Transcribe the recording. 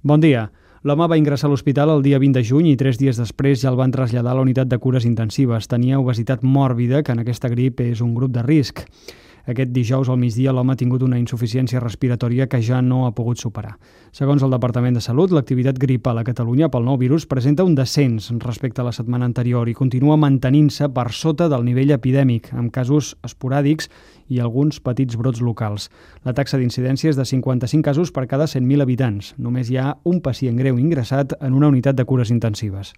Bon dia. L'home va ingressar a l'hospital el dia 20 de juny i 3 dies després ja el van traslladar a la unitat de cures intensives. Tenia obesitat mòrbida, que en aquesta grip és un grup de risc. Aquest dijous al migdia l'home ha tingut una insuficiència respiratòria que ja no ha pogut superar. Segons el Departament de Salut, l'activitat gripal a Catalunya pel nou virus presenta un descens respecte a la setmana anterior i continua mantenint-se per sota del nivell epidèmic, amb casos esporàdics i alguns petits brots locals. La taxa d'incidència és de 55 casos per cada 100.000 habitants. Només hi ha un pacient greu ingressat en una unitat de cures intensives.